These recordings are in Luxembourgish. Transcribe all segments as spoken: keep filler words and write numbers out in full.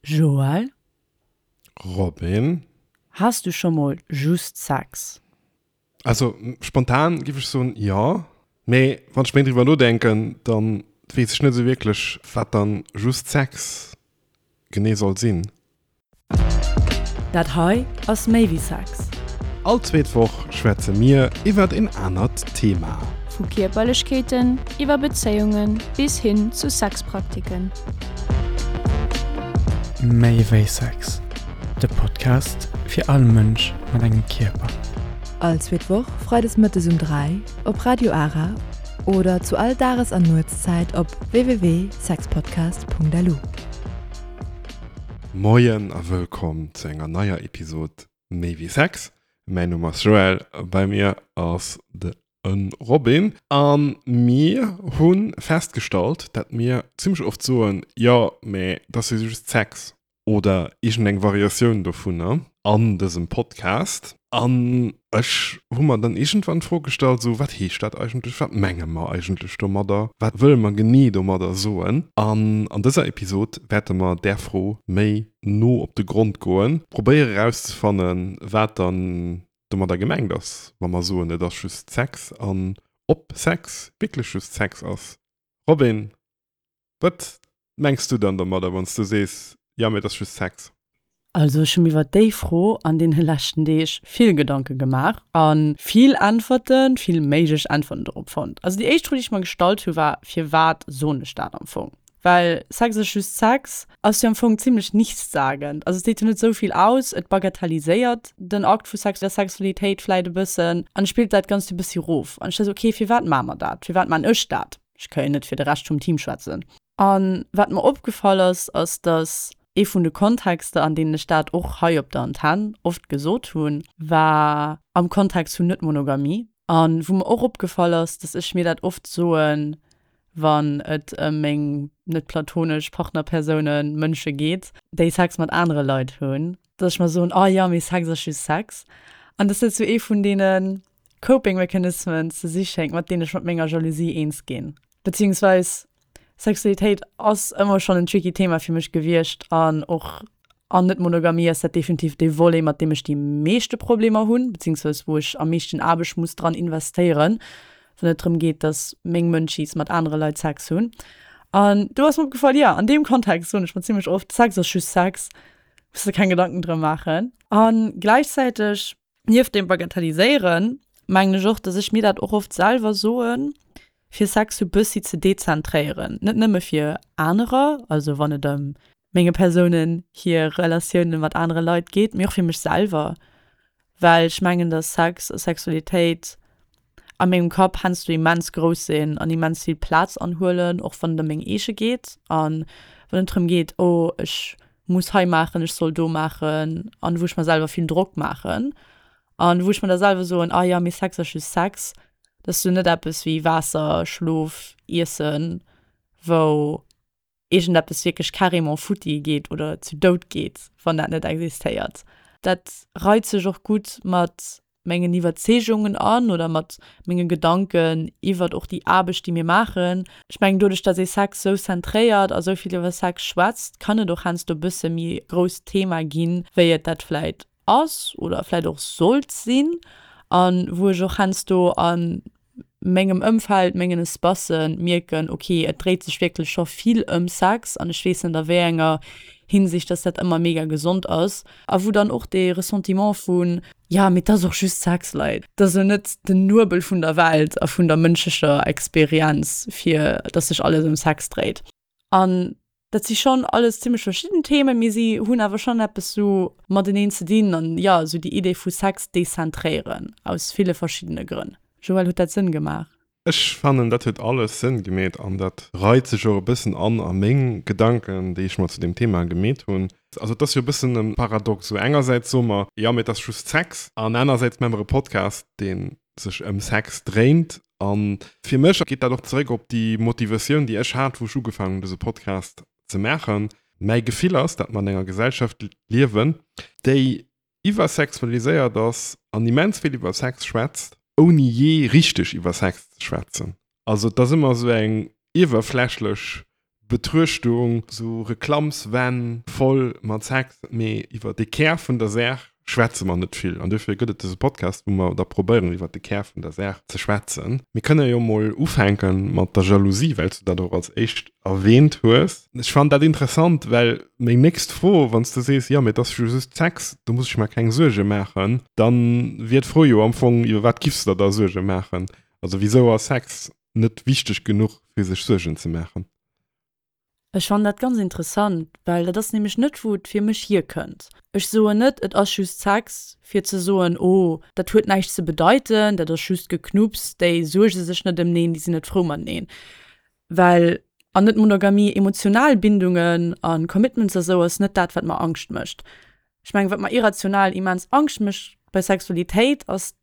Joël? Robin? Has du scho mol just Sex? Also spontan giff ech soen jo, mee wann ech méi driwwer nodenken, dann weess ech net esou wierklech wat dann just Sex genee soll sinn. Dat hei ass méi wéi Sex. All zweet Woch schwätze mir iwwert een anert Thema. Vu Kierperlechkeeten iwwer Bezéiunge bis hin zu Sexpraktiken. Méi wéi Sex, de Podcast fir all Mënsch mat engem Kierper. All zweet Woch freides mëttes um dräi op Radio Ara oder zu all Dages an Nuetszäit op www.sexpodcast.lu. Moien a wëllkomm zu enger neier Episod Méi wéi Sex. Mäin Numm ass Joël, bei mir ass de Robin a mir hu festgestallt, dat mir zimmlech oft soen, jo, mä dat ass jo just Sex oder iergendeng Variatioun dovunner an dësem Podcast. An ech hu mer dann iergendwann d'Fro gestallt, sou, wat heescht dat eigentlech, wat menge mer eigentlech domadder, wat wëlle mer genee domadder soen? An an dëser Episod wäerte mer där Fro méi no op de Grond goen, probéiere erauszefannen, wat dann domadder gemengt ass, wa mer soen, et ass just Sex an ob Sex wierklech just Sex ass. Robin, wat mengs du dann domadder, wann s du sees, jo, mee et ass just Sex? Also ech hu mir iwwer déi Fro an deene leschten Deeg vill Gedanke gemaach a vill Äntwerten, vill méiglech Äntwerten dorop fonnt. Also déi éischt Fro, déi ech mer gestallt hu war, Firwat soen ech dat am Fong? Well Sex ass just Sex ass jo am Fong zimmlech nichtssagend. Also et seet jo net esou vill aus, et bagatelliséiert den Akt vu Sex, der Sexualitéit vläit e bëssen an spillt dat Ganzt e bëssi rof. An ech war esou, okay, firwat maache mer dat? Firwat maan ech dat? Ech ka jo net fir de Rescht vum Team schwätzen. An wat mer opgefall ass, ass dass ee vun de Kontexter, an deenen ech dat och hei op der Antenn oft gesot hunn, war am Kontext vun Net-Monogamie. An wou mer och opgefall ass, dass ech mir dat oft soen, wann et ëm meng net platonesch Partnerpersounen, Mënsche geet, déi Sex mat anere Leit hunn, dass ech mer soen, oh jo, mee Sex ass just Sex. An dass dat sou ee vun deene Coping Mechanismen ze si schéngt, mat deenen ech mat menger Jalousie eens ginn. Beziehungsweis Sexualitéit ass ëmmer schonn en tricky Thema fir mech gewiescht an och an Net-Monogamie ass dat definitiv dee Volet, mat deem ech déi meeschte Problemer hunn, beziehungsweis wou ech am meeschten Aarbecht muss dran investéieren, wann et drëm geet, dass meng Mënschis mat anere Leit Sex hunn. An do ass mer opgefall, jo, an deem Kontext soen ech mer zimmlech oft, Sex ass just Sex, muss de keng Gedanken drëm maachen. A gläichzäiteg, nieft deem Bagatelliséieren, mengen ech och, dass ech mir dat och oft selwer soen, fir Sex sou bëssi ze dezentréieren. Net nëmme fir anerer, also wann et ëm menge Persounen hir Relatioune mat anere Leit geet, mee och fir mech selwer, well ech mengen, dass Sex a Sexualitéit a mengem Kapp heiansdo immens grouss sinn an immens vill Plaz anhuelen, och wann et ëm meng eege geet an wann et drëm geet, oh ech muss hei maachen, ech soll do maachen an wou ech mer selwer vill Drock maachen an wou ech mer da selwer soen, ah jo, mee Sex ass just Sex, dat ass jo net eppes wéi Waasser, Schlof, Iessen, wou iergendeppes wierklech carrément futti geet oder zu Doud geet, wann dat net existéiert. Dat reit sech och gutt mat mengen Iwwerzeegungen an oder mat menge Gedanken iwwert och déi Aarbecht, déi mir maachen. Ech mengen, doduerch, datt ee Sex sou zentréiert a sou vill iwwer Sex schwätzt, kann et och heiansdo e bësse méi grousst Thema ginn, wéi et dat vläit ass oder vläit och sollt sinn. A wou ech och heiansdo a mengem Ëmfeld, mengen Espacen mierken, ok, et dréit sech wierklech scho vill ëm Sex an ech weess net a wéi enger Hinsicht, dass dat ëmmer mega gesond ass. A wou dann och dee Ressentiment vun, jo, mee et ass och just Sex, Leit, et ass jo net den Nuebel vun der Welt a vun der mënschlecher Experienz, fir dass sech alles ëm Sex dréit. An dat si schonn alles zimmlech verschidden Themen, mee si hunn awer schonn eppes sou mateneen ze dinn an, jo, sou déi Idee vu Sex dezentréieren aus ville verschiddene Grënn. Joël, huet dat Sënn gemaach? Ech fannen, dat huet alles Sënn gemeet an dat reit sech och e bëssen an a meng Gedanken, déi ech mer zu deem Thema gemeet hunn. Also et ass jo e bëssen e Paradox, esou engersäits soe mer, jo, mee et ass just Sex an anersäits maache mer e Podcast, dee sech ëm Sex dréint. A fir mech geet dat och zeréck op déi Motivatioun, déi ech hat, wou ech ugefaangen hunn, dëse Podcast ze maachen. Mäi Gefill ass, datt mer an enger Gesellschaft liewen, déi iwwersexualiséiert ass an immens vill iwwer Sex schwätzt, ouni jee richteg iwwer Sex ze schwätzen. Also et ass ëmmer esou eng iwwerflächlech Betruechtung, sou Reklammswänn voll mat Sex, mee iwwer de Kär vun der Saach schwätze mer net vill. An dofir gëtt et dëse Podcast, wou mer da probéieren, iwwer de Kär vun der Saach ze schwätzen. Mir kënne jo mol ufänke mat der Jalousie, well s du dat och als éischt erwähnt hues. Ech fannen dat interessant, well meng nächst Fro, wann s du sees, jo, mee et ass jo just Sex, do muss ech mer keng Suerge maachen, da wier d'Fro jo am Fong, iwwer wat giffs de der da Suerge maachen? Also wisou ass Sex net wichteg genuch, fir sech Suergen ze maachen? Ech fannen dat ganz interessant, well dat ass nämlech net wou et fir mech hierkënnt. Ech soen net, et ass just Sex, fir ze soen, oh dat huet näischt ze bedeiten, dat ass just Geknupps, déi suerge sech net ëmneen, déi sinn net frou mateneen. Well an Net-Monogamie emotional Bindungen a Commitments a sou ass net dat wat mer Angscht mécht. Ech mengen wat mer irrational immens Angscht mécht bei Sexualitéit ass,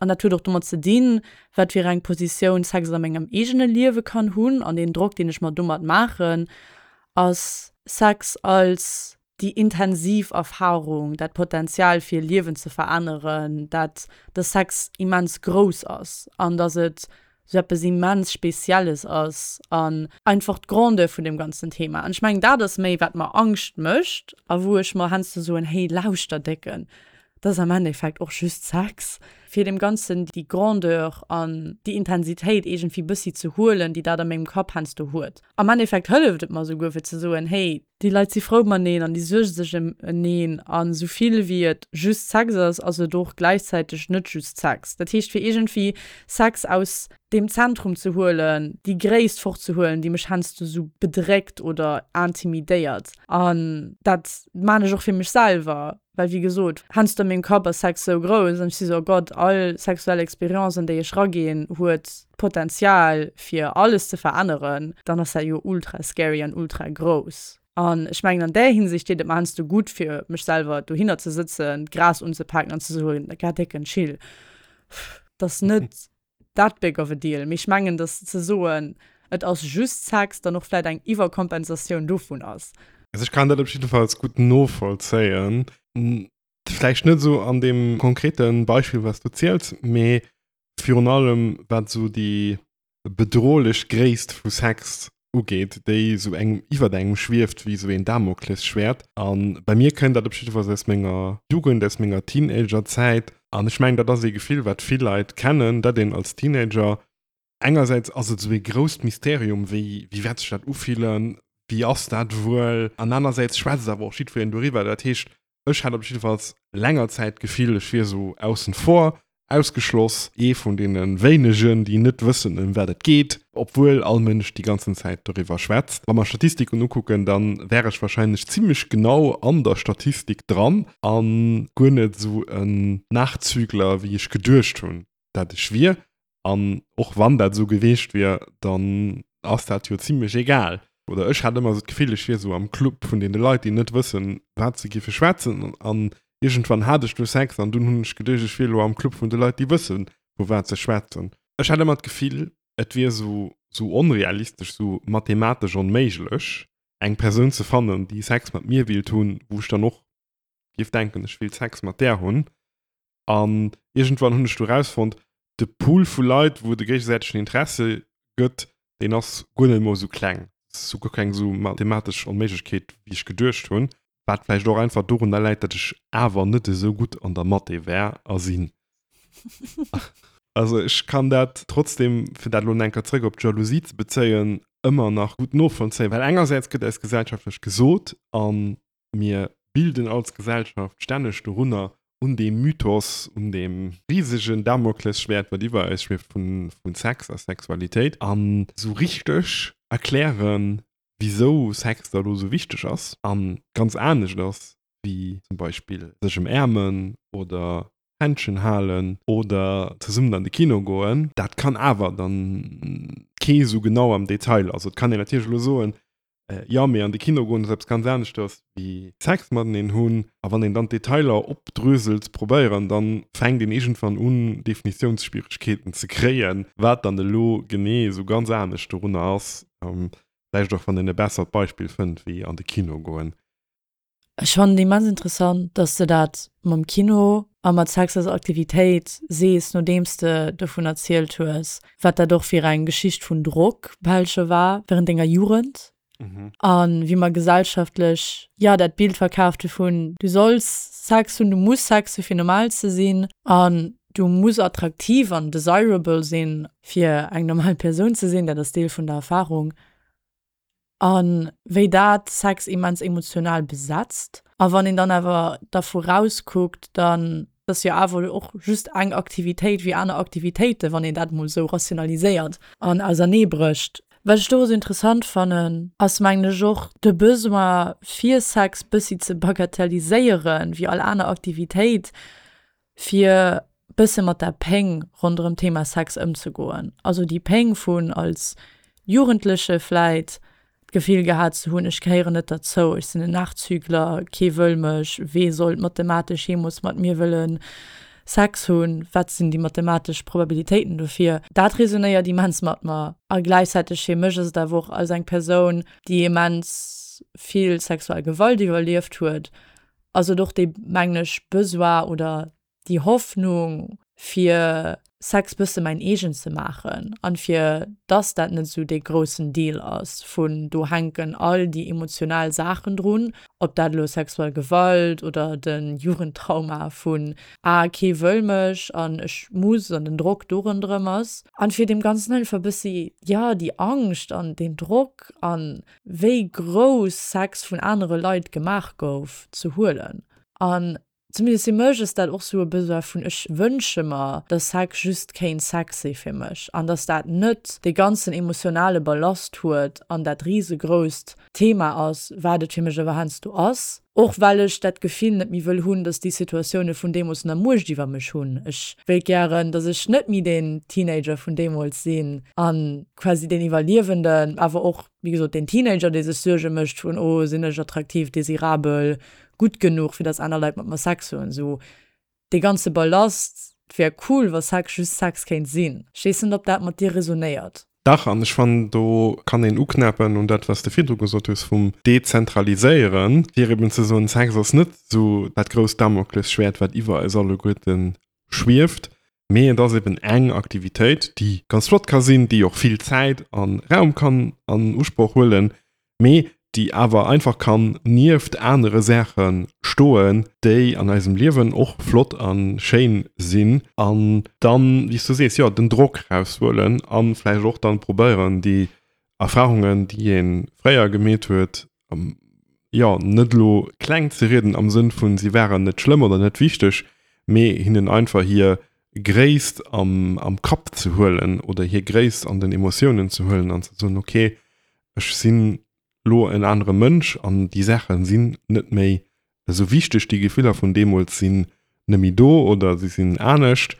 an dat huet och domat ze dinn, wat fir eng Positioun Sex a mengem eegene Liewe kann hunn an deen Drock, deen ech mer domat maachen, ass Sex als déi intensiv Erfarung, dat Potenzial fir Liewen ze veränneren, dat dass Sex immens grouss ass an dass et sou eppes immens Spezielles ass an einfach d'Grandeur vun deem ganzen Thema. An ech mengen, dat ass méi, wat mer Angscht mécht a wou ech mer heiansdo soen, hey, lauschter Décken, dat ass am Endeffekt och just Sex, fir deem Ganzen déi Grandeur an déi Intensitéit iergendwéi bëssi ze huelen, déi dat a mengem Kapp heiansdo huet. Am Endeffekt hëlleft et mer souguer fir ze soen, hey, déi Leit si frou mateneen an déi suerge sech ëm eneen an esou vill wéi et just Sex ass, ass et och gläichzäiteg net just Sex. Dat heescht, fir iergendwéi Sex aus deem Zentrum ze huelen, déi Gréisst fortzehuelen, déi mech heiansdo esou bedréckt oder intimidéiert. An dat maan ech och fir mech selwer, well wéi gesot, heiansdo a mengem Kapp ass Sex sou grouss an ech si sou, oh Gott, all sexuell Experience an déi ech raginn, huet d'Potenzial fir alles ze veränneren, dann ass dat jo ultra scary an ultra grouss. An ech mengen an där Hinsicht deet et mer heiansdo gutt fir mech selwer dohinner ze sëtzen, d'Gras unzepaken an ze soen, geh décken, chill, dat ass net that big of a deal. Mee ech mengen, dass ze soen, et ass just Sex, dann och vläit eng Iwwerkompensatioun dovun ass. Also ech kann dat op jiddefalls gutt novollzéien. Vläicht net esou an deem konkrete Beispill, wat s du ziels, mee virun allem wat esou déi bedrohlech Gréisst vu Sex ugeet, déi esou engem iwwert engem schwieft wéi esou een Damoklesschwäert. A bei mir kënnt dat op jiddefalls aus menger Jugend, aus menger Teenagerzäit. An ech mengen, dat ass ee Gefill, wat vill Leit kennen, dat een als Teenager, engersäits ass et esou ee grousst Mysterium, wéi wéi wäert sech dat ufillen, wéi ass dat wuel, an anersäits schwätzt awer och jiddwereen doriwwer. Dat heescht, ech hat op jiddefalls länger Zäit d'Gefill, ech wier esou aussen vor, ausgeschloss, ee vun deene wéinegen, déi net wëssen, ëm wat et geet, obwuel all Mënsch déi ganzen Zäit doriwwer schwätzt. Wa mer Statistiken ukucken, da wär ech warscheinlech zimmlech genau an der Statistik dran a guer net esou en Nachzügler, wéi ech geduecht hunn, dat ech wier. An och wann dat esou gewiescht wier, dann ass dat jo zimmlech egal. Oder ech hat ëmmer esou d'Gefill, ech wier esou am Club vun deene Leit, déi net wëssen, wat se géife schwätzen. An iergendwann hat ech du Sex an dunn hunn ech geduecht, ech wier elo am Club vun de Leit, déi wëssen, vu wat se schwätzen. Ech hat ëmmer d'Gefill, et wier esou, esou onrealistesch, esou mathematesch onméiglech, eng Persoun ze fannen, déi Sex mat mir wéilt hunn, wou ech dann och géif denken, ech wéilt Sex mat där hunn. An iergendwann hunn ech du erausfonnt, de Pool vu Leit, wou et e géigesäitegen Interesse gëtt, deen ass guer net emol esou kleng. Et ass guer keng esou mathematesch Onméiglechkeet, wéi ech geduecht hunn. Wat vläicht och einfach dorunner läit, datt ech awer net esou gutt an der Mathé war a sinn. Also ech kann dat trotzdem, fir dat elo enker zrëck op d'Jalousie ze bezéien, ëmmer nach gutt novollzéien, well engersäits gëtt eis gesellschaftlech gesot a mir bilden als Gesellschaft stänneg dorunner, un deem Mythos, un deem risegen Damoklesschwäert, wat iwwer eis schwieft vu Sex a Sexualitéit, an esou richteg erklären, wisou Sex da lo esou wichteg ass a ganz anescht ass wéi zum Beispill sech ëmäermen oder Händschen halen oder zesummen an de Kino goen, dat kann awer dann kee esou genau am Detail. Also et kann een natierlech elo soen, jo mee an de Kino goen ass eppes ganz aneschters wéi Sex mateneen hunn. A wann een dann d'Detailer opdröselt ze probéieren, dann fänkt een iergendwann un Definitiounsschwieregkeeten ze kréien, wat dann elo genee esou ganz anescht dorunner ass. Vläicht och wann een e bessert Beispill fënnt wéi an de Kino goen. Ech fannen et immens interessant, dass de dat mam Kino a mat Sex als Aktivitéit sees, nodeems de dovun erzielt hues, wat dat och fir eng Geschicht vun Drock bal scho war während denger Jugend. A wéi mer gesellschaftlech, jo, dat Bild verkaaft hu vun, du solls Sex hunn, du muss Sex hu fir normal ze sinn an du muss attraktiv an desirable sinn, fir eng normal Persoun ze sinn, dat ass Deel vun der Erfarung. A wéi dat Sex immens emotional besetzt. A wann een dann awer dervu rauskuckt, dann ass jo awer och just eng Aktivitéit wéi aner Aktivitéiten, wann een dat mol esou rationaliséiert an auserneebrécht. Wat ech do esou interessant fannen, ass mengen ech och de Besoin fir Sex bëssi ze bagatelliséieren, wéi all aner Aktivitéit, fir bësse mat der Péng ronderëm d'Thema Sex ëmzegoen. Also déi Péng vun als Jugendleche vläit d'Gefill gehat ze hunn, ech gehéieren net derzou, ech sinn en Nachzügler, kee wëll mech, wee sollt mathematesch jeemools mat mir wëlle Sex hunn, wat sinn déi mathematesch Probabilitéiten dofir? Dat resonéiert immens mat mer. A gläichzäiteg fir mech ass et awer och als eng Persoun, déi immens vill sexuell Gewalt iwwerlieft huet, ass et och dee, mengen ech, Besoin oder déi Hoffnung fir Sex bësse mäin eegen ze maachen an fir dass dat net esou dee groussen Deal ass vun do hänken all déi emotional Saachen drun, ob dat elo sexuell Gewalt oder de Jugendtrauma vun ah kee wëll mech an ech muss an den Drock do ronderëm ass an fir deem Ganzen einfach bëssi jo déi Angscht an deen Drock an wéi grouss Sex vun anere Leit gemaach gouf ze huelen an Zumindest fir mech ass dat och sou e Besoin vun ech wënsche mer, dass Sex just kéint Sex si fir mech an dass dat net dee ganzen emotionale Ballast huet an dat risegrousst Thema ass, wat et fir mech awer heiansdo ass. Och well ech dat Gefill net méi wëll hunn, dass déi Situatioune vun deemools nach Muecht iwwer mech hunn. Ech wéilt gären, dass ech net méi deen Teenager vun deemools sinn a quasi deen Iwwerliewenden, awer och, wéi gesot, deen Teenager, dee sech Suerge mécht vun, oh sinn ech attraktiv, desirabel, gutt genuch fir dass aner Leit mat mer Sex hunn, sou dee ganze Ballast, et wär cool wa Sex just Sex kéint sinn. Ech weess net op dat mat dir resonéiert. Dach, an ech fannen do kann een uknäppen un dat wat s de virdru gesot hues vum Dezentraliséieren, fir eben ze soen, Sex ass net sou dat grousst Damoklesschwäert wat iwwer eis alleguerte schwieft, mee et ass eben eng Aktivitéit déi ganz flott ka sinn, déi och vill Zäit a Raum kann an Usproch huelen, mee déi awer einfach kann nieft anere Saache stoen, déi an eisem Liewen och flott a schéin sinn, an dann, wéi s du sees, jo, den Drock raushuelen a vläicht och dann probéieren, déi Erfarungen, déi ee fréier gemeet huet, jo, net elo kleng ze rieden am Sënn vun, si waren net schlëmm oder net wichteg, mee hinnen einfach hir Gréisst am Kapp ze huelen oder hir Gréisst an den Emotiounen ze huelen an ze soen, okay, ech sinn lo en anere Mënsch an déi Saache sinn net méi esou wichteg, déi Gefiller vun deemools sinn net méi do oder si sinn anescht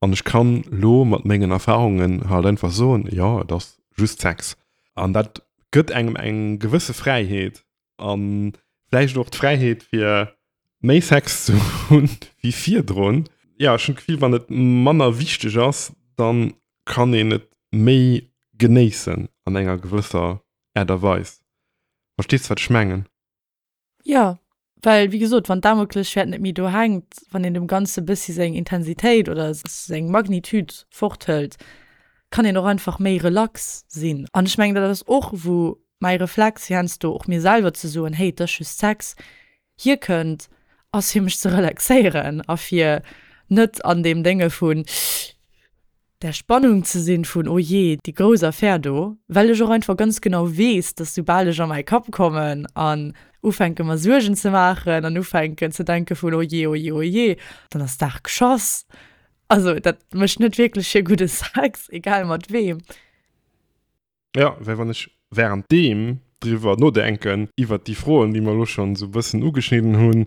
an ech kann lo mat mengen Erfarungen halt einfach soen, jo et ass just Sex. An dat gëtt engem eng gewësse Fräiheet a vläicht och d'Fräiheet fir méi Sex ze hunn wéi virdrun. Jo, ech hunn d'Gefill, wann et manner wichteg ass, da kann een et méi genéissen an enger gewësser Aart a Weis. Verstees de, wat ech mengen? Jo, well wéi gesot, wann d'Damoklesschwäert net méi do hänkt, wann een dem Ganze bëssi seng Intensitéit oder seng Magnitude forthëlt, kann een och einfach méi relax sinn. An ech mengen, dat ass och, wou mäi Reflex heiansdo och mir selwer ze soen, hey, et ass just Sex, hierkënnt, ass fir mech ze relaxéieren a fir net an deem Dénge vun der Spannung ze sinn vun oh jee, déi grouss Affär do, well ech och einfach ganz genau weess, dass soubal ech a mäi Kapp kommen an ufänke mer Suergen ze maachen an ufänken ze denke vun oh jee, oh jee, oh jee, dann ass d'Saach geschoss. Also dat mécht net wierklech fir gudde Sex, egal mat weem. Jo, well wann ech währenddeem driwwer nodenken, iwwert déi Froen, déi mer elo schonn esou e bëssen ugeschnidden hunn,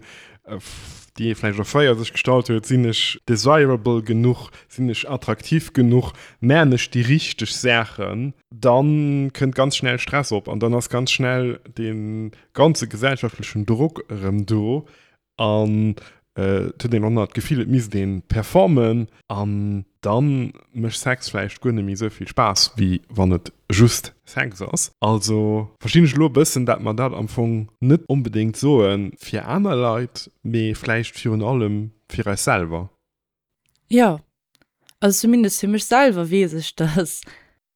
déi ee vläicht och fréier sech gestallt huet, Sinn ech desirable genuch, sinn ech attraktiv genuch, man ech déi richteg Saachen, da kënnt ganz schnell Stress op an dann ass ganz schnell dee ganze gesellschaftlechen Drock erëm do an et huet een och nach d'Gefill, et misst ee performen an da mécht Sex vläicht guer net méi esou vill Spaass, wéi wann et just Sex ass. Also verstinn ech elo e bëssen, dat mer dat am Fong net onbedéngt soe fir aner Leit, mee vläicht virun allem fir eis selwer. Jo, also zumindest fir mech selwer weess ech, dass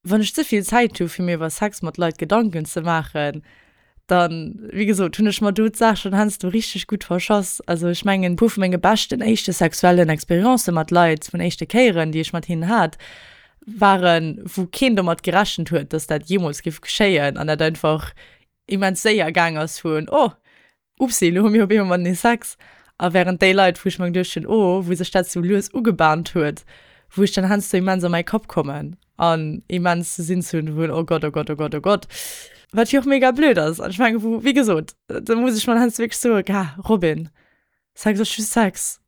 Wann ech ze vill Zäit hu fir mir iwwer Sex mat Leit Gedanken ze maachen, dann, wéi gesot, hunn ech mer do d'Saach schonn heiansdo richteg gutt verschass. Also ech mengen, e puer vu menge beschten éischte sexuellen Experiencë mat Leit, vun éischte Kéieren, déi ech mat hinnen hat, waren, wou keen domat gerechent huet, dass dat jeemools géif geschéien an dat einfach immens séier gaang ass vun, oh, upsi, elo hu mir op eemol matenee Sex. A wärend déi Leit, wou ech mer geduecht hunn, oh, wou sech dat sou lues ugebahnt huet, wou ech dann heiansdo immens a mäi Kapp kommen an immens sinn hunn vun, oh Gott, oh Gott, oh Gott, oh Gott, wat jo och mega blöd ass. An ech mengen, wou, wéi gesot, do muss ech mer heiansdo wierklech soen, gah, Robin, Sex ass just Sex,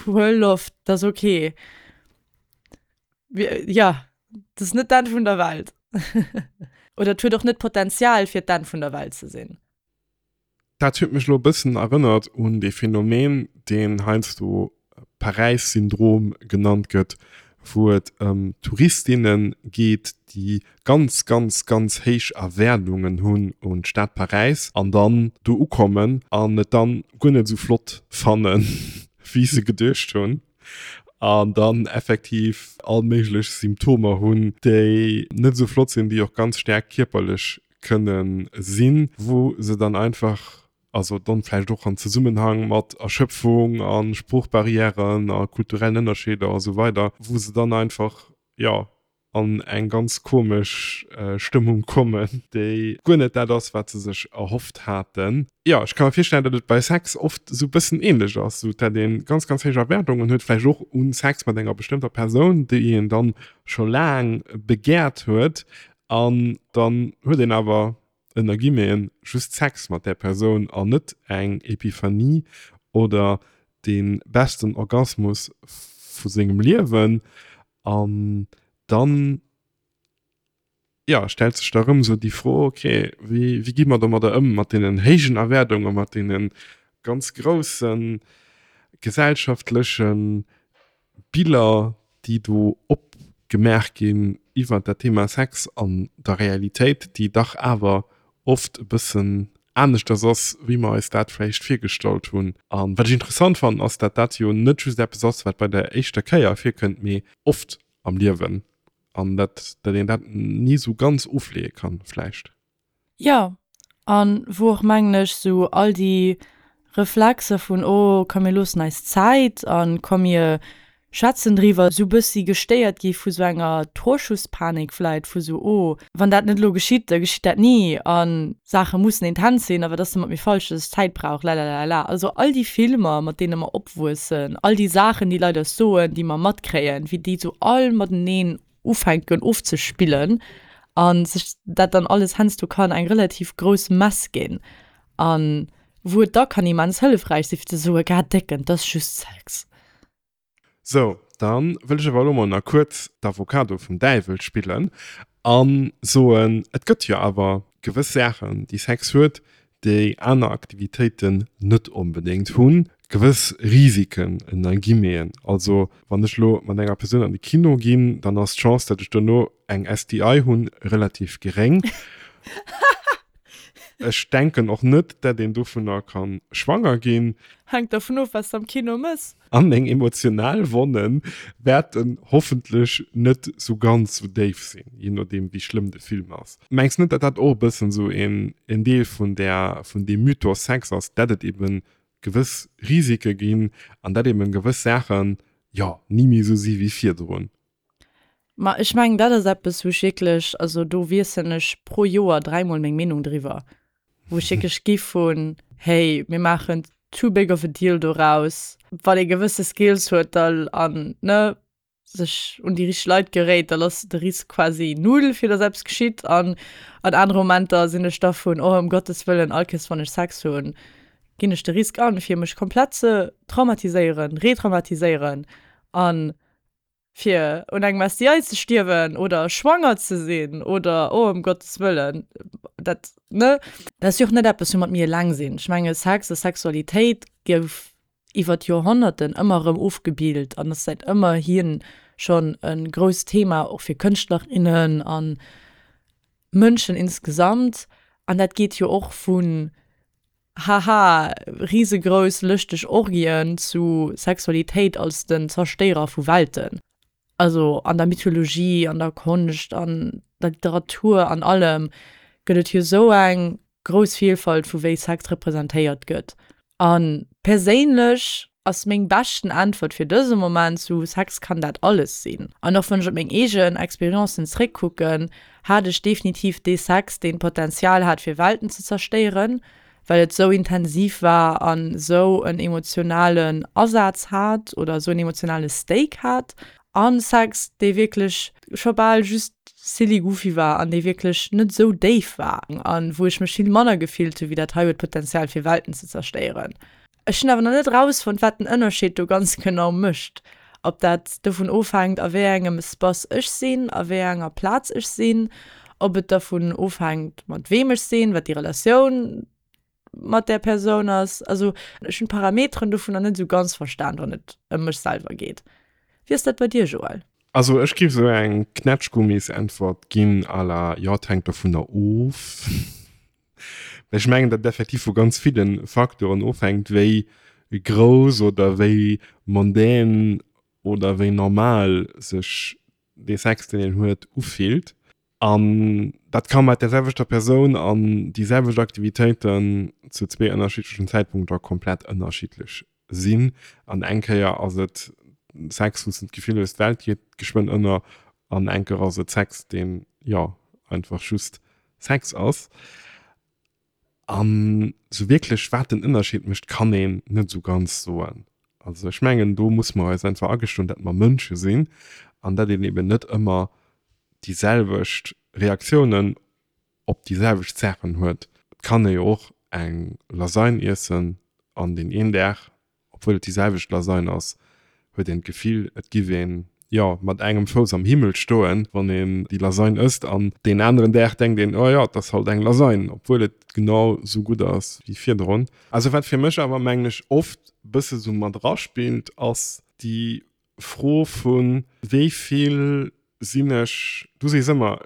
huel Loft, dat ass ok. Jo, dat ass net d'Enn vun der Welt. Oder et huet och net d'Potenzial, fir d'Enn vun der Welt ze sinn. Dat huet mech elo e bëssen erënnert un dee Phänomen, deen heiansdo Paräis-Syndrom genannt gëtt, wou et ëm Touristinne geet, déi ganz, ganz, ganz héich Erwaardungen hunn un d'Stad Paräis an dann do ukommen an et dann guer net esou flott fannen, wéi se geduecht hunn an dann effektiv all méiglech Symptomer hunn, déi net esou flott sinn, déi och ganz staark kierperlech kënne sinn, wou se dann einfach, also dann vläicht och an Zesummenhang mat Erschöpfung a Sproochbarrièren a kulturellen Ënnerscheeder a sou weider, wou se dann einfach, jo, an eng ganz komesch Stëmmung kommen, déi guer net dat ass, wat se sech erhofft haten. Jo, ech ka mer virstellen, datt et bei Sex oft esou e bëssen ähnlech ass, esou datt ee ganz, ganz héich Erwaardungen huet, vläicht och u Sex mat enger bestëmmter Persoun, déi een dann scho laang begäert huet, an dann huet een awer, ënner Guillemeten, just Sex mat där Persoun an net eng Epiphanie oder dee besten Orgasmus vu sengem Liewen. An dann, jo, stellt sech da rëm esou déi Fro, ok, wéi, wéi gi mer domadder ëm, mat deenen héijen Erwaardungen, mat deene ganz grousse gesellschaftleche Biller, déi do opgemaach ginn iwwert dat Thema Sex an der Realitéit, déi dach awer oft e bëssen aneschters ass, wéi mer eis dat vläicht virgestallt hunn. A wat ech interessant fannen, ass, dat dat jo net just eppes ass, wat bei der éischter Kéier virkënnt, mee oft am Liewen an dat dat een dat ni sou ganz ofleeë kann vläicht. Jo, an wou och mengen ech sou all déi Reflexer vun oh komm mir loossen eis Zäit an komm mir schwätzen driwwer sou bëssi gestéiert gi vu sou enger Torschusspanik vläit, vu sou oh wann dat net elo geschitt, da geschitt dat ni a Saache mussen intens sinn a wat ass da mat mir falsch, dass ech Zäit brauch lalalala. Also all déi Filmer mat deene mer opwuessen, all déi Saachen déi Leit eis soen, déi mer matkréien, wéi déi sou all mateneen ufänken ofzespillen a sech dat dann alles heiansdo kann eng relativ grouss Mess ginn a wou et da kann immens hëllefräich si fir ze soen, Gah Décken, 't ass just Sex. Sou, dann wëll ech awer elo mol nach kuerz d'Avocado vum Däiwel spillen a soen, et gëtt jo awer gewëss Saachen, déi Sex huet, déi aner Aktivitéiten net onbedéngt hunn, gewëss Risiken ënner Guillemeten. Also wann ech elo mat enger Persoun an de Kino ginn, dann ass d'Chance, datt ech dono eng S T I hunn, relativ geréng. Ech denken och net, datt een dovunner ka schwanger ginn. Hänkt dervun of, wat s de am Kino mëss. An meng emotional Wonne wäerten hoffentlech net sou ganz sou déif sinn, jee nodeem wéi schlëmm de Film ass. Mengs net, datt dat och e bëssen sou een Deel vun där, vun deem Mythos Sex ass, datt et eben gewëss Risike ginn an datt eben gewëss Saachen, jo, ni méi sou si wéi virdrun? Ma ech mengen, dat ass eppes, wou ech wierklech, also do wiesselen ech pro Joer dräimol meng Meenung driwwer, wou ech wierklech gi vun, hey, mir maachen too big of a deal doraus, wann ee gewësse Skills huet da an, ne, sech un déi richteg Leit geréit, dann ass de Risk quasi null, fir dass eppes geschitt. An an anere Momenter sinn ech da vun, oh, ëm Gottes Wëllen, all Kéiers wann ech Sex hunn, ginn ech de Risk an, fir mech komplett ze traumatiséieren, retraumatiséieren an fir un engem S T I ze stierwen oder schwanger ze sinn oder, oh, ëm Gottes Wëllen, dat, ne? Dat ass jo och net eppes, woumat mir eleng sinn. Ech menge Sex a Sexualitéit gouf iwwer d'Joerhonnerten ëmmer erëm ofgebild an ass säit ëmmerhin schonn e grousst Thema och fir Kënschtlerinnen an Mënschen insgesamt. An dat geet jo och vun haha, risegrouss lëschteg Orgien zu Sexualitéit als den Zerstéierer vu Welten. Also an der Mythologie, an der Konscht, an der Literatur, an allem gëtt et jo sou eng grouss Vielfalt vu wéi Sex representéiert gëtt. A perséinlech ass meng beschten Äntwert fir dëse Moment sou, Sex kann dat alles sinn. An och wann ech op meng eegen Experiencen zréckkucken, hat ech definitiv dee Sex, deen d'Potenzial hat fir Welten ze zerstéieren, well et sou intensiv war an sou en emotionalen Asaz hat oder sou en emotionale Stake hat. An Sex, dee wierklech scho bal just silly goofy war an dee wierklech net sou déif war an wou ech mech vill manner gefillt hu wéi dat hei huet Potenzial fir Welten ze zerstéieren. Ech hunn awer nach net rausfonnt wat den Ënnerscheed do ganz genau mécht. Ob dat dovun ofhänkt a wéi engem Espace ech sinn, a wéi enger Plaz ech sinn, ob et dovun ofhänkt mat weem ech sinn, wat déi Relatioun mat där Persoun ass. Also ech hunn d'Parameteren dovunner net esou ganz verstan wann et ëm mech selwer geet. Wéi ass dat bei dir Joël? Also ech géif esou eng Knätschgummisäntwert ginn à la, jo et hänkt dovunner of. Well ech mengen, datt et effektiv vu ganz ville Facteuren ofhänkt, wéi grouss oder wéi mondaine oder wéi normal sech dee Sex, deen een huet, ufillt. An dat ka mat där selwechter Persoun an déi selwecht Aktivitéiten zu zwee ënnerschiddlechen Zäitpunkter komplett ënnerschiddlech sinn. An eng Kéier ass et Sex, wou s de d'Gefill hues, d'Welt geet geschwënn ënner, an eng Kéier ass et Sex, deen, jo, einfach just Sex ass. An esou wierklech, wat den Ënnerscheed mécht, kann een net esou ganz soen. Also ech mengen, do musse mer eis einfach agestoen, datt mer Mënsche sinn an datt een eben net ëmmer déi selwecht Reaktiounen op déi selwecht Saachen huet. Et kann ee jo och eng Lasagne iessen an deen een Dag, obwuel et déi selwecht Lasagne ass, huet een d'Gefill, et giff een, jo, mat engem Fouss am Himmel stoen, wann een déi Lasagne ësst an deen aneren Dag denkt een, oh jo, et ass halt eng Lasagne, obwuel et genau sou gutt ass wéi virdrun. Also wat fir mech awer, mengen ech, oft bësse sou mat eraspillt, ass déi Fro vu wéi vill sinn ech, du sees ëmmer,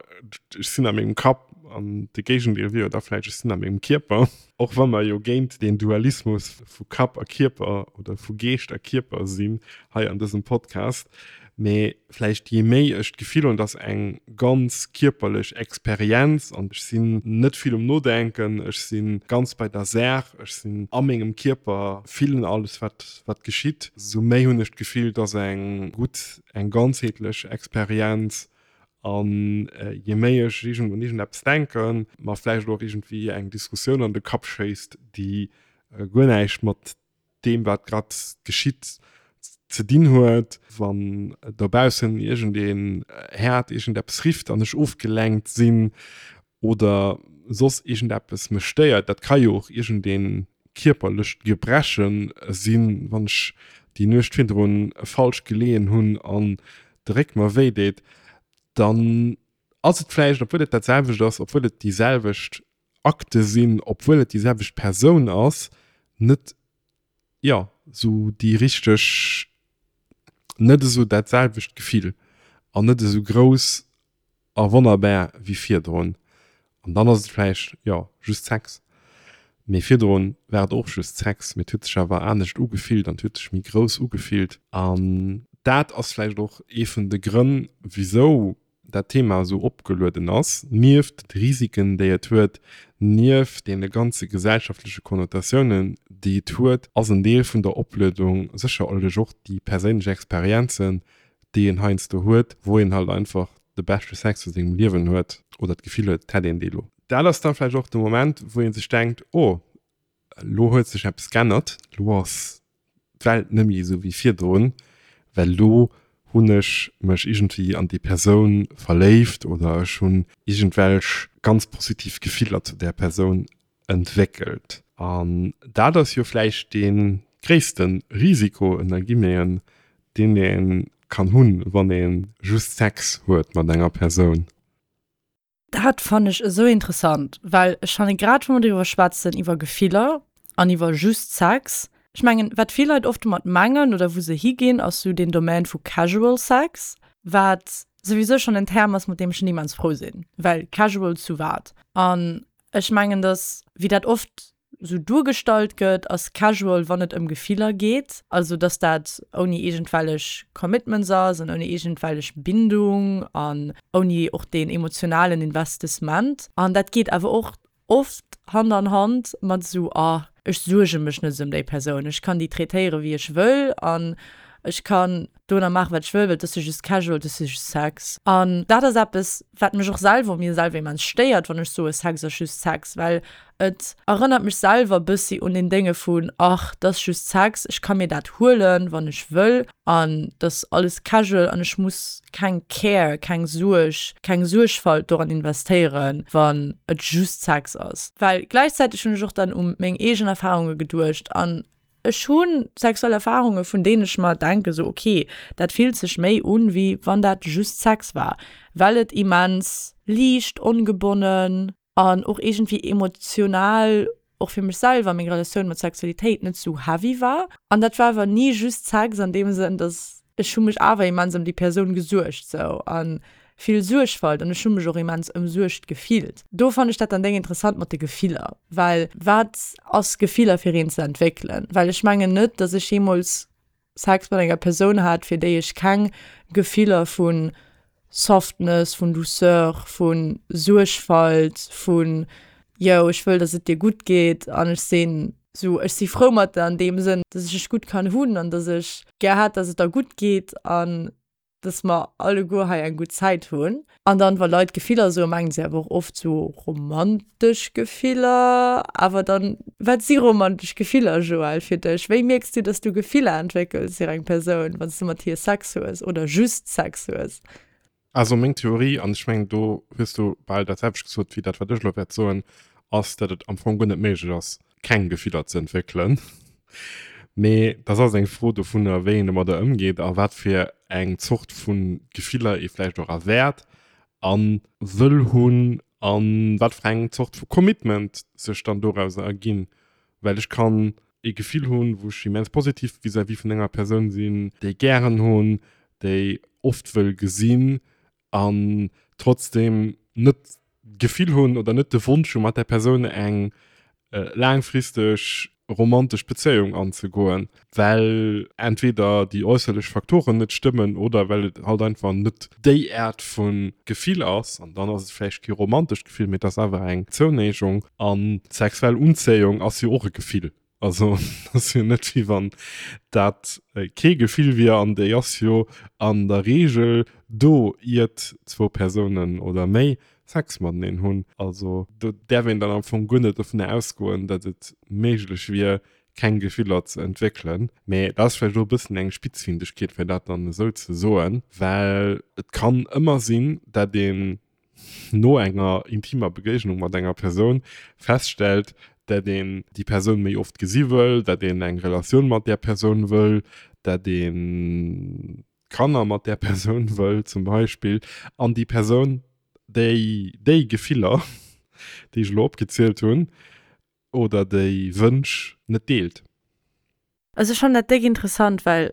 ech sinn a mengem Kapp, an de Géigendeel wier jo da vläicht, ech sinn a mengem Kierper, och wa mer jo géint deen Dualismus vu Kapp a Kierper oder vu Geescht a Kierper sinn hei an dësem Podcast. Mee vläicht jee méi ech d'Gefill hunn, et ass eng ganz kierperlech Experienz an ech sinn net vill um Nodenken, ech si ganz bei der Saach, ech sinn a mengem Kierper, fillen alles wat wat geschitt, sou méi hunn ech d'Gefill, et ass eng gutt, eng ganzheetlech Experienz. An jee méi ech iergend un iergendeppes denken, mer vläicht och iergendwéi eng Diskussioun an de Kapp schéisst, déi guer näischt mat deem wat grad geschitt ze dinn huet, wann dobaussen iergendeen Häert iergendeppes rifft an ech ofgelenkt sinn oder soss iergendeppes mech stéiert, dat ka jo och iergendee kierperlecht Gebreche sinn, wann ech déi Nuecht virdrun falsch geleeën hunn an de Réck mer wéi deet, dann ass et vläicht, obwuel et dat selwecht ass, obwuel et déi selwecht Akte sinn, obwuel et déi selwecht Persoun ass, net, jo, esou déi richteg, net esou dat selwecht Gefill an net esou grouss a wonnerbar wéi virdrun. An dann ass et vläicht, jo, just Sex. Mee virdrun war et och just Sex, mee et huet sech awer anescht ugefillt an et huet sech méi grouss ugefillt. An dat ass vläicht och ee vun de Grënn, wisou dat Thema esou opgelueden ass, nieft de Risiken, déi et huet, nieft deene ganze gesellschaftleche Konnotatiounen, déi et huet, ass en Deel vun der Opluedung sécherlech och déi perséinlech Experienzen, déi een heiansdo huet, wou een halt einfach de beschte Sex vu sengem Liewen huet oder d'Gefill huet, et hätt een dee lo. Dat ass da vläicht och de Moment, wou ee sech denkt, oh, elo huet sech eppes g'ännert, elo ass d'Welt net méi esou wéi virdrun, well elo hunn ech mech iergendwéi an déi Persoun verléift oder ech hunn iergendwelch ganz positiv Gefiller zu där Persoun entwéckelt. An dat ass jo vläicht dee gréisste Risiko, ënner Guillemeten, deen ee kann hunn, wann ee just Sex huet mat enger Persoun. Dat fannen ech esou interessant, well ech fanne grad wa mer driwwer schwätzen, iwwer Gefiller an iwwer just Sex, ech mengen wat vill Leit oft domat mengen oder wou se higinn, ass sou deen Domaine vu casual Sex, wat souwisou schonn en Term ass, mat deem ech net immens frou sinn, well casual zu wat? An ech mengen, dass, wéi dat oft sou duergestallt gëtt, ass casual, wann et ëm Gefiller geet. Also dass dat ouni iergendwellech Commitments ass an ouni iergendwellech Bindung an ouni och deen emotionalen Investissement. An dat geet awer och oft Hand an Hand mat sou, ah, ech suerge mech net esou ëm déi Persoun, ech kann déi traitéiere wéi ech wëll an ech kann domadder maachen, wat ech wëll, well et ass jo just casual, et ass jo just Sex. An dat ass eppes, wat mech och selwer u mir selwer immens stéiert, wann ech soe Sex ass just Sex, well et erënnert mech selwer e bëssi un deen Dénge vun, ach, et ass just Sex, ech ka mir dat huelen, wann ech wëll an et ass alles casual an ech muss keng Care, keng Suerg, keng Suergfalt doran investéieren, wann et just Sex ass. Well gläichzäiteg hunn ech och dann u meng eegen Erfarunge geduecht an ech hu sexuell Erfarunge vun deenen ech mer denke sou, ok, dat fillt sech méi un, wéi wann dat just Sex war, well et immens liicht, ongebonnen an och iergendwéi emotional och fir mech selwer, meng Relatioun mat Sexualitéit net sou heavy war. An dat war awer ni just Sex an deem Sënn, dass ech hu mech awer immens ëm déi Persoun gesuergt sou an vill Suergfalt an ech hu mech och immens ëmsuergt gefillt. Do fannen ech dat dann déng interessant mat de Gefiller, well wat ass Gefiller fir een ze entwéckelen? Well ech mengen net, dass ech jeemools Sex mat enger Persoun hat, fir déi ech keng Gefiller vu Softness, vun Douceur, vu Suergfalt, vun yo ech wëll, dass et dir gutt geet an ech sinn sou ech si frou mat der an deem Sënn, dass ech dech gutt kann hunn an dass ech gär hätt, dass et der gutt geet an dass mer alleguer hei eng gutt Zäit hunn. An dann, wa Leit Gefiller soen, mengen se awer och oft sou romantesch Gefiller. Awer dann, wat si romantesch Gefiller, Joël, fir dech? Wéi mierks du, dass du Gefiller entwéckels fir eng Persoun, wann s du mat hir Sex hues oder just Sex hues? Also meng Theorie, an ech mengen do hues du bal dat selwecht gesot wéi dat wat ech elo wäert soen, ass dat et am Fong guer net méiglech ass keng Gefiller ze entwéckelen. Mee dat ass eng Fro dovunner wéi een domadder ëmgeet a wat fir eng Zort vu Gefiller ee vläicht och erwäert a wëll hunn a wat fir eng Zort vu Commitment sech dann dorauser erginn. Well ech kann ee Gefill hunn, wou ech immens positiv vis-à-vis vun enger Persoun sinn, déi gären hunn, déi oft wëll gesinn an trotzdem net d'Gefill hunn oder net de Wonsch hunn, mat där Persoun eng laangfristeg romantesch Bezéiung anzegoen, well entweder déi äusserlech Faktoren net stëmmen oder well et halt einfach net déi Aart vu Gefill ass. An dann ass et vläicht kee romantescht Gefill, mee et ass awer eng Zounéigung. An sexuell Unzéiung ass jo och e Gefill. Also et ass jo net wéi wann dat kee Gefill wier an déi ass jo an der Reegel do iert zwou Persounen oder méi Sex mateneen hunn. Also do däerf een dann am Fong guer net dovunner ausgoen, datt et méiglech wier keng Gefiller ze entwéckelen. Mä dat ass vläicht och e bëssen eng Spitzfindegkeet fir dat dann esou ze soen, well et kann ëmmer sinn, datt een no enger intimer Begéignung mat enger Persoun feststellt, dat een déi Persoun méi oft gesi wëll, dat een eng Relatioun mat där Persoun wëll, dat ee Kanner mat där Persoun wëll zum Beispill, an déi Persoun déi déi Gefiller, déi ech elo opgezielt hunn, oder déi Wënsch net deelt. Also ech fannen dat déck interessant, well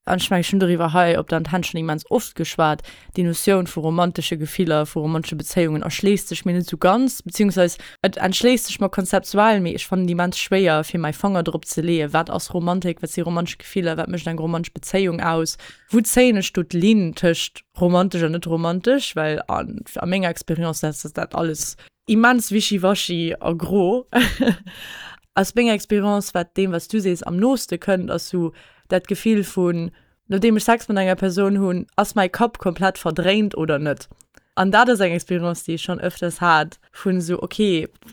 An ech mengen, ech hunn doriwwer hei op der Antenn schonn immens oft geschwat, déi Notioun vu romantesche Gefiller, vu romantesche Bezéiungen erschléisst sech mir net esou ganz, beziehungsweis et entschléisst sech mer konzeptuell, mee ech fannen et immens schwéier, fir mäi Fanger drop ze leeën, wat ass Romantik, wat si romantesch Gefiller, wat mécht eng romantesch Bezéiung aus, wou zéien ech do d'Linn tëscht romantesch an net romantesch, well a menger Experience ass dat alles immens wischiwaschi a gro. Aus menger Experience, wat deem, wat s du sees, am nooste kënnt, ass sou dat Gefill vun, nodeem ech Sex mat enger Persoun hunn, ass mäi Kapp komplett verdréint oder net. An dat ass eng Experience, déi ech schonn ëfters hat, vun esou, ok,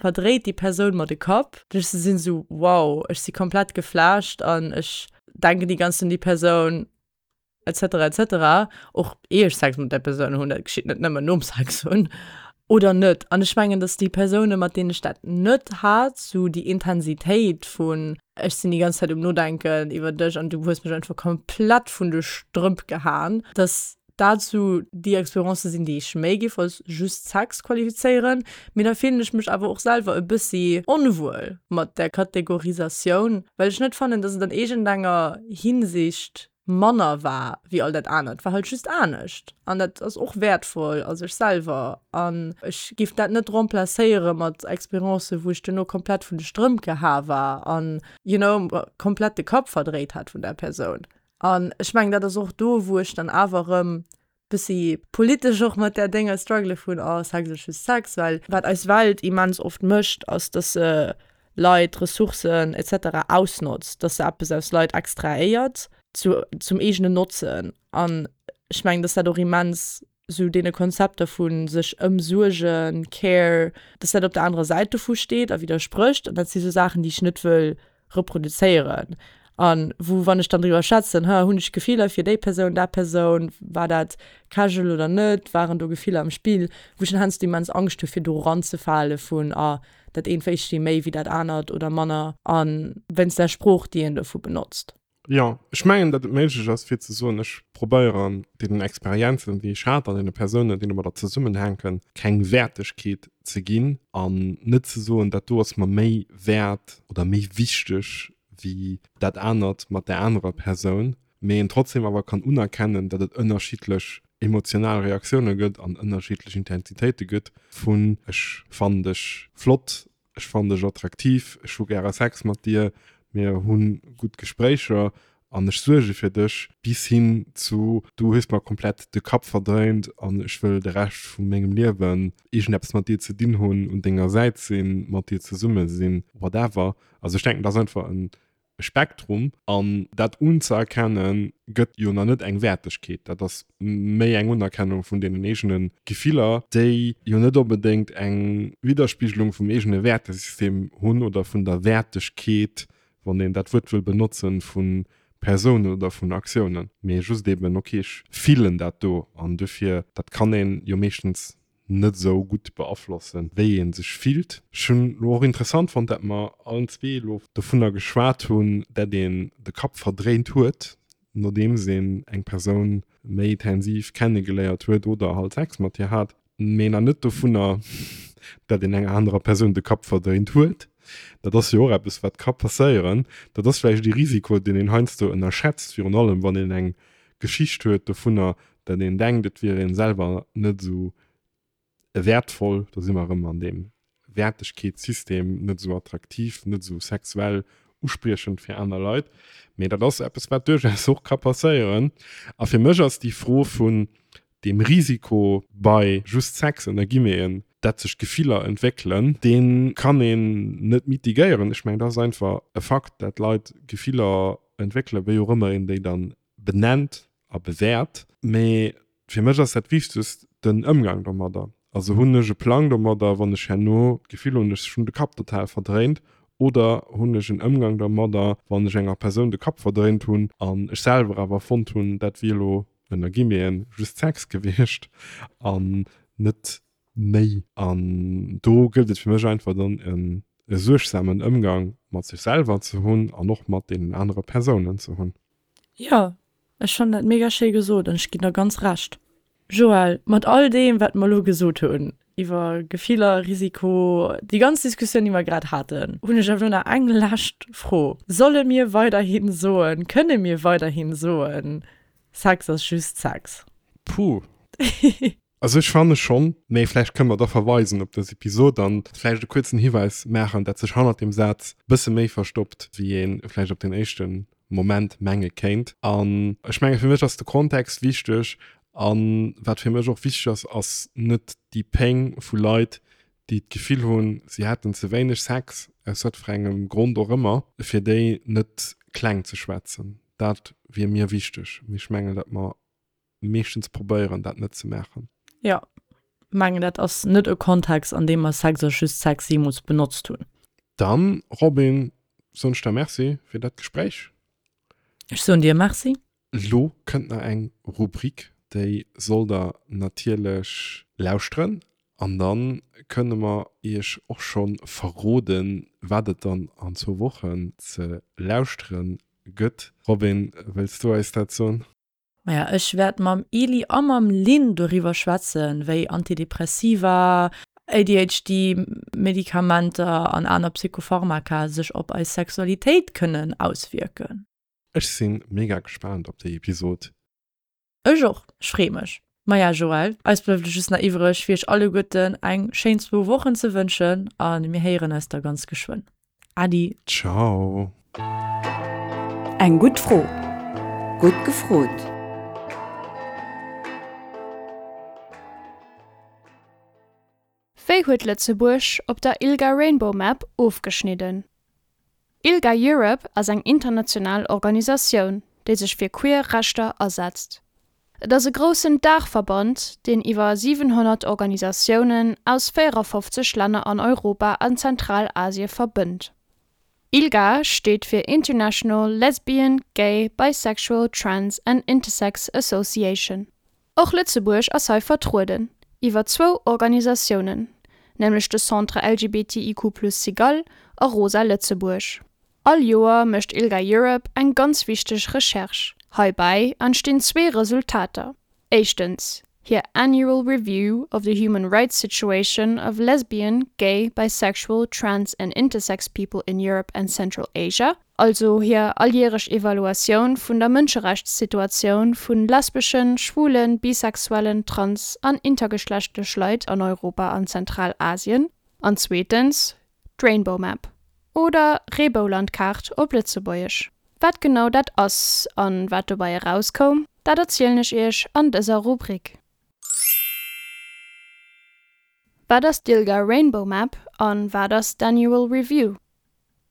verdréit déi Persoun mer de Kapp? Ech sinn esou, wow, ech si komplett geflasht an ech denken déi ganz Zäit un déi Persoun. Etc etc. Och ier ech Sex mat där Persoun hunn, dat geschitt net nëmmen nom Sex hunn, oder net. An ech mengen, dass déi Persounen, mat deenen ech dat net hat, sou déi Intensitéit vun ech sinn déi ganz Zäit um Nodenken iwwer dech an du hues mech einfach komplett vun de Strëmp gehaen, dass dat sou déi Experiencë sinn, déi ech méi géif als just Sex qualifizéieren. Mee da fillen ech mech awer och selwer e bëssi onwuel mat där Kategorisatioun, well ech net fannen, dass et an iergendenger Hinsicht manner war wéi all dat anert, war halt just anescht an dat ass och wäertvoll a sech selwer an ech géif dat net remplacéiere mat Experiencen, wou ech duerno komplett vun de Strëmp geha war an, you know, komplett de Kapp verdréit hat vun där Persoun. An ech mengen, dat ass och do, wou ech dann awer erëm bëssi politesch och mat där Dénger struggele vun, oh, Sex ass just Sex, well wat eis Welt immens oft mécht, ass, dass se Leit, Ressourcen et cetera ausnotzt, dass se eppes aus Leit extrahéiert zu, zum eegenen Notzen. An ech mengen, dass dat och immens sou deene Konzepter vu sech ëmsuergen, Care, dass dat op der anerer Säit dovu steet a widdersprécht. An dat si sou Saachen, déi ech net wëll reproduzéieren. An wou, wann ech dann driwwer schwätzen, ha, hunn ech Gefiller fir déi Persoun, dat Persoun, war dat casual oder net, waren do Gefiller am Spill, wou ech dann heiansdo immens Angscht hu fir do eranzefale vun, ah, dat eent wéisst ee méi wéi dat anert oder manner, a wéinst der Sprooch, déi een dovu benotzt. Jo, ech mengen, datt et méiglech ass fir ze soen, ech probéieren deenen Experienzen, déi ech hat an deene Persounen, déi domadder zesummenhänken, keng Wäertegkeet ze ginn an net ze soen, dat do ass mer méi wäert oder méi wichteg wéi dat anert mat där anerer Persoun, mee een trotzdem awer kann unerkennen, datt et ënnerschiddlech emotional Reaktioune gëtt an ënnerschiddlech Intensitéite gëtt vun ech fannen dech flott, ech fannen dech attraktiv, ech hu gäre Sex mat dir, mir hu gutt Gespréicher an ech suerge fir dech, bis hin zu du hues mer komplett de Kapp verdréint an ech wëll de Rescht vu mengem Liewen iergendeppes mat dir ze dinn hunn, un denger Säit sinn, mat dir zesumme sinn, whatever. Also ech denken, dat ass einfach e Spektrum an dat unzëerkennen, gëtt jo nach net eng Wäertegkeet. Dat ass méi eng Unerkennung vun deenen eegene Gefiller, déi jo net onbedéngt eng Widderspigelung vum eegene Wäertesystem hunn oder vun der Wäertegkeet, wann een dat Wuert wëll benotzen, vu Persounen oder vun Aktiounen, mee just eben, ok, ech fillen dat do an dofir, dat kann een jo meeschtens net esou gutt beaflossen, wéi ee sech fillt. Ech hunn elo och interessant fonnt, dat mer allen zwee elo dovunner geschwat hunn, dat een de Kapp verdréint huet, nodeems een eng Persoun méi intensiv kennegeléiert huet oder halt Sex mat hir hat, mee nach net dovunner, dat een enger anerer Persoun de Kapp verdréint huet. Dat ass jo och eppes, wat ka passéieren. Dat ass vläicht ee Risiko, deen een heiansdo ënnerschätzt, virun allem wann een eng Geschicht huet dovunner, dat een denkt, et wier ee selwer net esou wäertvoll, do si mer erëm an deem Wäertegkeetssystem, net esou attraktiv, net esou sexuell uspriechend fir aner Leit. Mee dat ass eppes, wat duerchaus och ka passéieren. A fir mech ass déi Fro vun deem Risiko bei just Sex, ënner Guillemeten, dat sech Gefiller entwéckelen, dee kann een net mitigéieren. Ech mengen, dat ass einfach e Fakt, dat Leit Gefiller entwéckelen, wéi och ëmmer een déi dann benennt a bewäert. Mee fir mech ass dat Wichtegst den Ëmgang domadder. Also hunn ech e Plang domadder, wann ech herno d'Gefill hunn, ech hunn de Kapp total verdréint, oder hunn ech en Ëmgang domadder, wann ech enger Persoun de Kapp verdréint hunn an ech selwer awer fonnt hunn, dat wier elo, ënner Guillemeten, just Sex gewiescht an net méi. An do gëllt et fir mech einfach dann e suergsamen Ëmgang mat sech selwer ze hunn an och mat deenen anere Persounen ze hunn. Jo, ech fannen dat mega schéi gesot an ech ginn der ganz Recht. Joël, mat all deem wat mer elo gesot hunn iwwer Gefiller, Risiko, déi ganz Diskussioun déi mer grad haten, hunn ech awer elo nach eng lescht Fro, Solle mir weiderhin soen, kënne mir weiderhin soen, Sex ass just Sex? Puh. Also ech fanne schonn, mee vläicht kënne mer da verweisen op dës Episod an vläicht e kuerzen Hiwäis maachen, dat sech hannert deem Saz bësse méi verstoppt, wéi ee vläicht op den éischte Moment menge kéint. An ech menge fir mech ass de Kontext wichteg an wat fir mech och wichteg ass, ass net déi Péng vu Leit, déi d'Gefill hunn, si hätten ze wéineg Sex, aus wat fir engem Grond och ëmmer, fir déi net kleng ze schwätzen. Dat wier mir wichteg. Mee ech mengen, datt mer meeschtens probéieren, dat net ze maachen. Jo, mengen dat ass net e Kontext, an deem mer Sex ass just Sex jeemools benotzt hunn. Dann, Robin, soen ech der Merci fir dat Gespréich. Ech soen dir Merci. Elo kënnt nach eng Rubrik, déi sollt der natierlech lauschteren an da kënne mer iech och scho verroden, wat et dann an zwou Wochen ze lauschteren gëtt. Robin, wëlls du eis dat soen? Maja, ech wäert mam Eli a mam Lynn doriwwer schwätzen, wéi Antidepressiva, A D H D Medikamenter an aner Psychopharmaka sech op eis Sexualitéit kënnen auswierken. Ech sinn mega gespaant op déi Episod. Ech och, ech free mech. Maja Joël, eis bleift elo just nach iwwreg fir iech alleguerten eng schéin zwou Wochen ze wënschen a mir héieren eis da ganz geschwënn. Adi. Ciao. Eng gutt Fro. Gutt gefrot. Wéi huet Lëtzebuerg op der ILGA Rainbow Map ofgeschnidden? ILGA Europe ass eng international Organisatioun, déi sech fir queer Rechter asetzt. Et ass e groussen Daachverband, deen iwwer siwenhonnert Organisatiounen aus véierafofzeg Länner an Europa an Zentralasie verbënnt. ILGA steet fir International Lesbian, Gay, Bisexual, Trans and Intersex Association. Och Lëtzebuerg ass hei vertrueden, iwwer zwou Organisatiounen, nämlech de Centre LGBTIQ plus Cigale a Rosa Lëtzebuerg. All Joer mécht ILGA Europe eng ganz wichteg Recherche. Heibäi entstinn zwee Resultater, éischtens hir Annual Review of the Human Rights Situation of Lesbian, Gay, Bisexual, Trans and Intersex People in Europe and Central Asia, also hir alljäreg Evaluatioun vun der Mënscherechtssituatioun vu lesbeschen, schwulen, bisexuellen, trans an intergeschlechtlech Leit an Europa an Zentralasien, an zweetens d'Rainbow Map oder Reeboulandkaart op Lëtzebuergesch. Wat genau dat ass an wat dobäi erauskoum, dat erzielen ech iech an dëser Rubrik. Wat ass d'ILGA Rainbow Map an wat ass d'Annual Review?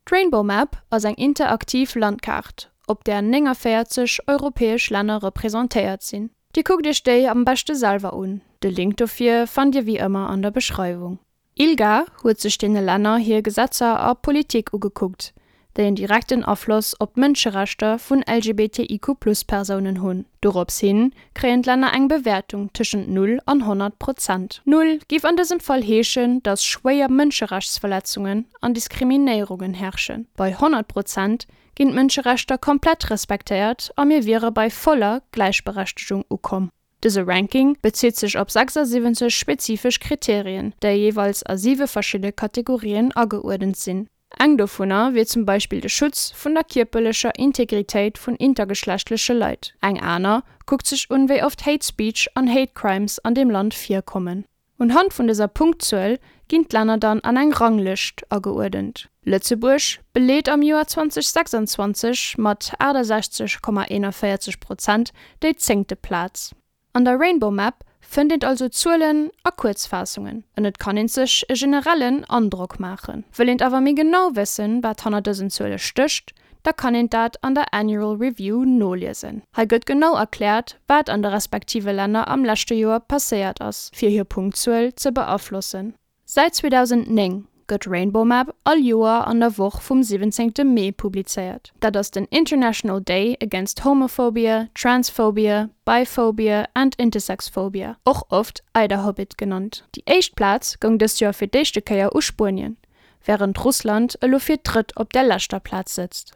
D'Rainbow Map ass eng interaktiv Landkaart, op där néngavéierzeg europäesch Länner representéiert sinn. Dir kuckt iech déi am beschte selwer un, de Link dofir fannt dir wéi ëmmer an der Beschreiwung. ILGA huet sech deene Länner hir Gesetzer a Politik ugekuckt, déi en direkten Afloss op d'Mënscherechter vun L G B T I Q plus Persounen hunn. Dorops hin kréien d'Länner eng Bewäertung tëschent null an honnert Prozent. Null géif an dësem Fall heeschen, datt schwéier Mënscherechtsverletzungen an Diskriminéierungen herrschen. Bei honnert Prozent ginn d'Mënscherechter komplett respektéiert a mir wiere bei voller Gläichberechtegung ukomm. Dëse Ranking bezitt sech op sechsasiwwenzeg spezifesch Kriterien, déi jeeweils a siwe verschidde Kategorien ageuerdent sinn. Eng dovunner wier zum Beispill de Schutz vun der kierperlecher Integritéit vun intergeschlechtleche Leit. Eng aner kuckt sech un, wéi oft Hate Speech an Hate Crimes an deem Land virkommen. Unhand vun dëser Punktzuel ginn d'Länner dann an eng Ranglëscht ageuerdent. Lëtzebuerg beleet am Joer zweitausendsechsundzwanzeg mat aachtasechzeg Komma eenanvéierzeg Prozent déi zéngte Plaz. An der Rainbow Map fënnt een also Zuelen a Kuerzfaassungen an et kann een sech e generellen Androck maachen. Wëll eent awer méi genau wëssen, wat hanner dësen Zuele stécht, da kann een dat an der Annual Review noliesen. Hei gëtt genau erkläert, wat an de respektive Länner am leschte Joer passéiert ass, fir hir Punktzuel ze beaflossen. Säit zweedausendnéng gëtt Rainbow Map all Joer an der Woch vum siwwenzéngte Mee publizéiert. Dat ass den International Day Against Homophobia, Transphobia, Biphobia and Intersexphobia, och oft IDAHOBIT genannt. Déi éischt Plaz goung dëst Joer fir d'éischte Kéier u Spuenien, wärend Russland elo fir d'drëtt op der leschter Plaz sëtzt.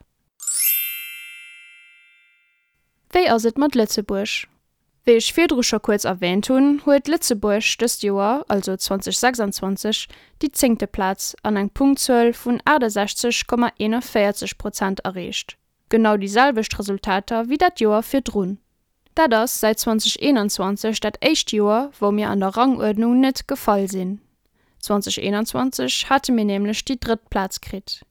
Wéi ass et mat Lëtzebuerg? Wéi ech virdru scho kuerz erwähnt hunn, huet Lëtzebuerg dëst Joer, also zweitausendsechsundzwanzeg, déi zéngte Plaz an eng Punktzuel vun aachtasechzeg Komma eenanvéierzeg Prozent erreecht. Genau déi selwecht Resultater wéi dat Joer virdrun. Dat ass säit zweitausendeenanzwanzeg dat éischt Joer, wou mir an der Ranguerdnung net gefall sinn. Zweitausendeenanzwanzeg hate mir nämlech déi drëtt Plaz kritt.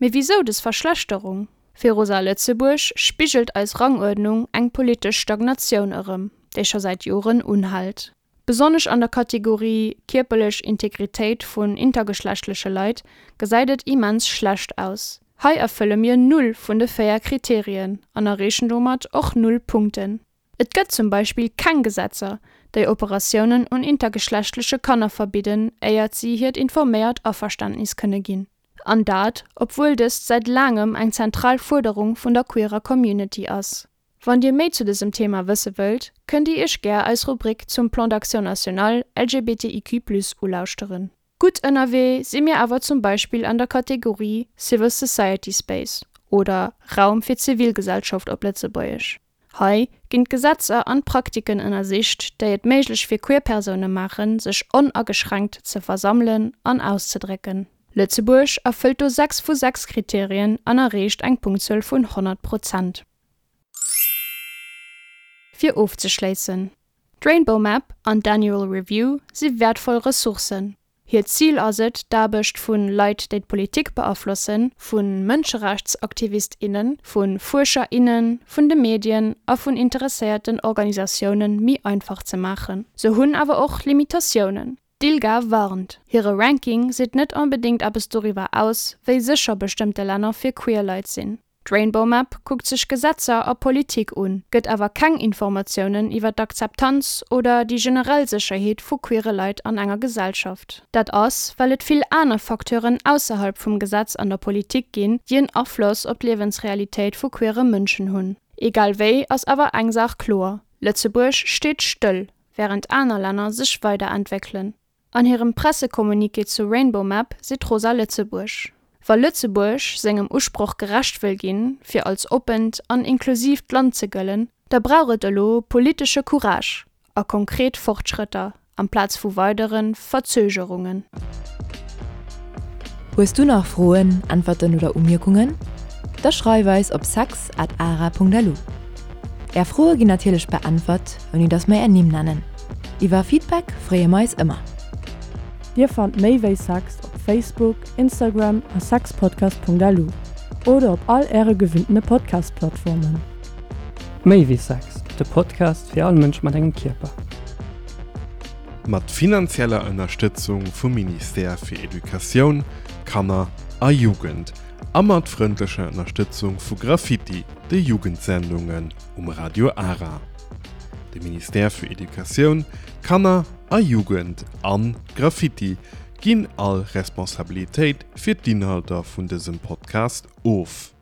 Mee wisou dës Verschlechterung? Fir Rosa Lëtzebuerg spigelt eis Ranguerdnung eng politesch Stagnatioun erëm, déi scho säit Joren unhält. Besonnesch an der Kategorie kierperlech Integritéit vun intergeschlechtleche Leit gesäit et immens schlecht aus. Hei erfëlle mir null vun de véier Kriterien an erreechen domat och null Punkten. Et gëtt zum Beispill keng Gesetzer, déi Operatiounen un intergeschlechtleche Kanner verbidden, éiert si hiert informéiert Averständnis kënne ginn. An dat, obwuel dëst säit laangem eng zentral Fuerderung vun der queerer Community ass. Wann Dir méi zu dësem Thema wësse wëllt, kënnt Dir Iech gär eis Rubrik zum Plan d'action national L G B T I Q plus ulauschteren. Gutt ënnerwee si mir awer zum Beispill an der Kategorie Civil Society Space oder Raum fir d'Zivilgesellschaft op Lëtzebuergesch. Hei ginn d'Gesetzer an d'Praktiken ënnersicht, déi et méiglech fir queer Persoune maachen, sech onageschränkt ze versammelen an auszedrécken. Lëtzebuerg erfëllt do sechs vu sechs Kriterien an erreecht eng Punktzuel vun honnert Prozent. Fir ofzeschléissen, D'Rainbow Map an d'Annual Review si wäertvoll Ressourcen. Hiert Zil ass et, d'Aarbecht vu Leit, déi d'Politik beaflossen, vu Mënscherechtsaktivist, innen, vu Fuerscher, innen, vun de Medien a vun interesséierten Organisatioune méi einfach ze maachen. Se hunn awer och Limitatiounen. D'ILGA warnt, Hire Ranking seet net onbedéngt eppes doriwwer aus, wéi sécher bestëmmte Länner fir queer Leit sinn. D'Rainbow Map kuckt sech Gesetzer a Politik un, gëtt awer keng Informatiounen iwwer d'Akzeptanz oder déi generell Sécherheet vu queere Leit an enger Gesellschaft. Dat ass, well et vill aner Facteuren ausserhalb vum Gesetz an der Politik ginn, déi en Afloss op d'Liewensrealitéit vu queere Mënschen hunn. Egal wéi ass awer eng Saach kloer, Lëtzebuerg steet stëll, wärend aner Länner sech weiderentwéckelen. An hirem Pressecommuniqué zur Rainbow Map seet Rosa Lëtzebuerg, Wa Lëtzebuerg sengem Usproch gerecht wëll ginn, fir als oppent an inklusiivt Land ze gëllen, da brauch et elo politesche Courage a konkret Fortschrëtter amplaz vu weidere Verzögerungen. Hues du nach Froen, Äntwerten oder Umierkungen? Da schreif eis op sex at ara Punkt lu. Är Froe ginn natierlech beäntwert, ouni dass mer är Nimm nennen. Iwwer Feedback freeë mer eis ëmmer. Dir fannt méi wéi Sex op Facebook, Instagram a sexpodcast.lu oder op all äre gewinntene Podcast-Plattformen. Méi wéi Sex, de Podcast fir all Mënsch mat engem Kierper. Mat finanzieller Ënnerstëtzung vum Ministère fir Educatioun, Kanner a Jugend a mat frëndlecher Ënnerstëtzung vu Graffiti, de Jugendsendungen um Radio Ara. De Ministère fir Educatioun, Kanner a Jugend an Graffiti ginn all Responsabilitéit fir d'Inhalter vun dësem Podcast of.